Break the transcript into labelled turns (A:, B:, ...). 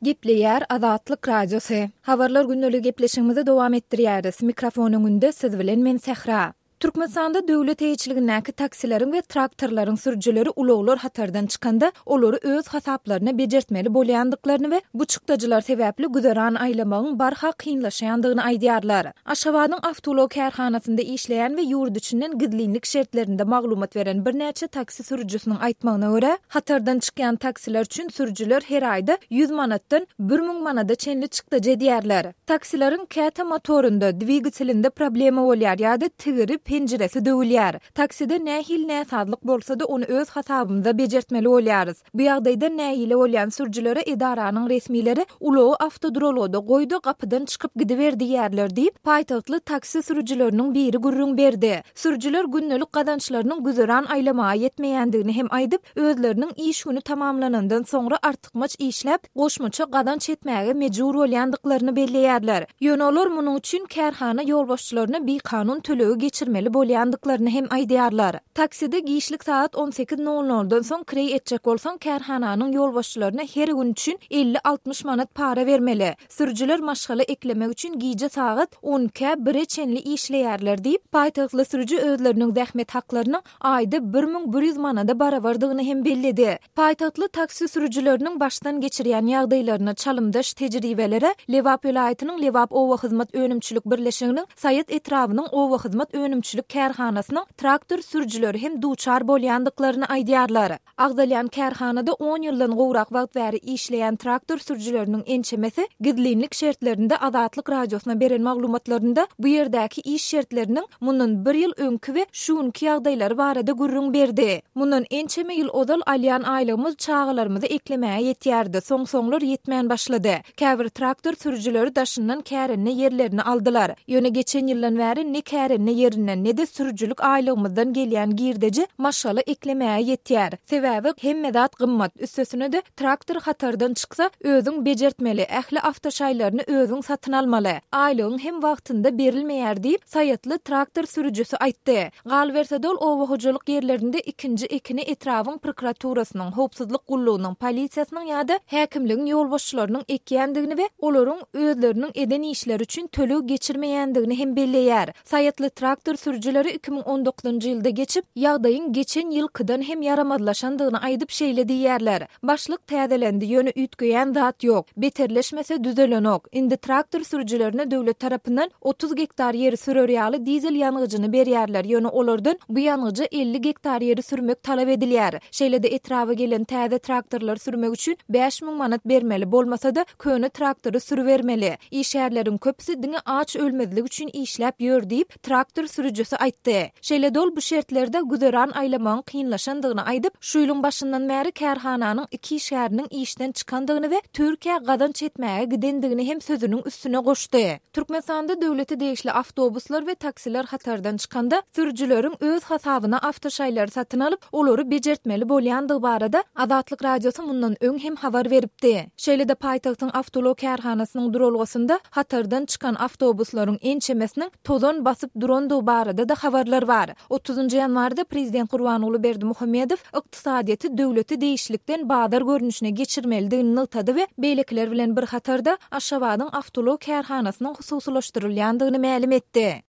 A: Gepleýär Azatlyk Radiosy. Habarlar gündeligi gepleşigimizi dowam etdirýäris. Mikrofon öňünde siz bilen men Sähra. Türkmenistanda döwlet eýeçiligindäki taksileriň we traktorlaryň sürüjileri ulaglar hatardan çykanda, olary öz hasaplaryna bejertmeli bolýandyklaryny we bu çykdajylar sebäpli güzeran aýlamagyň barha kynlaşýandygyny aýdýarlar. Aşgabadyň awtoulag kärhanasynda işleýän we ýurt içinden gizlinlik şertlerinde maglumat beren birnäçe taksi sürüjisiniň aýtmagyna görä, hatardan çykýan taksiler üçin sürüjiler her aýda 100 manatdan 1000 manada çenli çykdajy edýärler. Taksileriň käte motorynda, dwigatelinde problema bolýar ýa-da tigiri, penjiresi döwülýär. Takside nähili näsazlyk bolsa-da ony öz hasabymyza bejertmeli bolýarys. Bu ýagdaýdan nägile bolýan sürüjilere edaranyň resmileri ulagy awtoduralgada goý-da gapydan çykyp gidiber diýýärler diýip, paýtagtly taksi sürüjileriniň biri gürrüň berdi. Sürüjiler gündelik gazançlarynyň güzeran aýlamaga ýetmeýändigini hem aýdyp, özleriniň iş güni tamamlanandan soňra artykmaç işläp, goşmaça gazanç etmäge mejbur bolýandyklaryny belleýärler. Ýöne olar munuň üçin kärhana ýolbaşçylaryna bikanun tölegi geçirmeli bolýandyklaryny hem aýdýarlar. Takside giçlik sagat on sekiz nol noldan soň kireý etjek bolsaň, kärhananyň ýolbaşçylaryna her gün üçin elli-altmyş manat para bermeli. Sürüjiler maşgala eklemek üçin gije sagat on ikä, bire çenli işleýärler diýip, paýtagtly sürüji özleriniň zähmet haklarynyň aýda 1100 manada barabardygyny hem belledi. Paýtagtly taksi sürüjileriniň başdan geçirýän ýagdaýlaryna çalymdaş tejribelere Lebap welaýatynyň Lebap obahyzmat önümçilik birleşiginiň Saýat etrabynyň obahyzmat önümçilik kärhanasynyň traktor sürüjileri hem duçar bolýandyklaryny aýdýarlar. Agzalýan kärhanada on ýyldan gowrak wagt bäri işleýän traktor sürüjileriniň ençemesi gizlinlik şertlerinde Azatlyk Radiosyna beren maglumatlarynda bu ýerdäki iş şertleriniň mundan bir ýyl öňki we şu günki ýagdaýlary barada gürrüň berdi. Mundan ençeme ýyl ozal alýan aýlygymyz çagalarymyzy eklemäge ýetýärdi, soň-soňlar ýetmän başlady. Käbir traktor sürüjileri daşyndan kärende ýerlerini aldylar. Ýöne geçen ýyldan bäri ne kärende ýerinden, ne-de sürüjilik aýlygymyzdan gelýän girdeji maşgala eklemäge ýetýär. Sebäbi hemme zat gymmat, üstesine-de traktor hatardan çyksa, özüň bejertmeli, ähli awtoşaýlaryny özüň satyn almaly. Aýlygyň hem wagtynda berilmeýär diýip, saýatly traktor sürüjisi aýtdy. Galyberse-de ol oba hojalyk ýerlerinde ikinji ekini etrabyň prokuraturasynyň, howpsuzlyk gullugynyň, polisiýasynyň ýa-da häkimligiň ýolbaşçylarynyň ekýändigini we olaryň özleriniň eden işleri üçin töleg geçirmeýändigini hem belleýär. Saýatly traktor sürüjileri 2019-njy ýylda geçip, ýagdaýyň geçen ýylkydan hem ýaramazlaşandygyny aýdyp şeýle diýýärler, Başlyk täzelendi, ýöne üýtgeýän zat ýok. Beterleşmese düzelenok. Indi traktor sürüjilerine döwlet tarapyndan 30 gektar ýeri sürer ýaly dizel ýangyjyny berýärler, ýöne olardan bu ýangyja 50 gektar ýeri sürmek talap edilýär. Şeýle-de etraba gelen täze traktorlary sürmek üçin 5000 manat bermeli, bolmasa-da köne traktory sürübermeli. Işgärleriň köpüsi diňe aç ölmezlik üçin işläp ýör diýip, traktor sürüjisi aýtdy. Şeýle-de ol bu şertlerde güzeran aýlamagyň kynlaşandygyny aýdyp, şu ýylyň başyndan bäri kärhananyň iki işgäriniň işden çykandygyny we Türkiýä gazanç etmäge gidendigini hem sözüniň üstüne goşdy. Türkmenistanda döwlete degişli awtobuslar we taksiler hatardan çykanda, sürüjileriň öz hasabyna awtoşaýlary satyn alyp, olary bejertmeli bolýandygy barada Azatlyk Radiosy mundan öň hem habar beripdi. Şeýle-de paýtagtyň awtoulag kärhanasynyň duralgasynda hatardan çykan awtobuslaryň ençemesiniň tozan basyp durandygy barada-da habarlar bar. Otuzynjy ýanwarda prezident Gurbanguly Berdimuhamedow ykdysadyýeti döwlete degişlilikden bazar görnüşine geçirmelidigini nygtady we beýlekiler bilen bir hatarda Aşgabadyň awtoulag kärhanasynyň hususylaşdyrylýandygyny mälim etdi.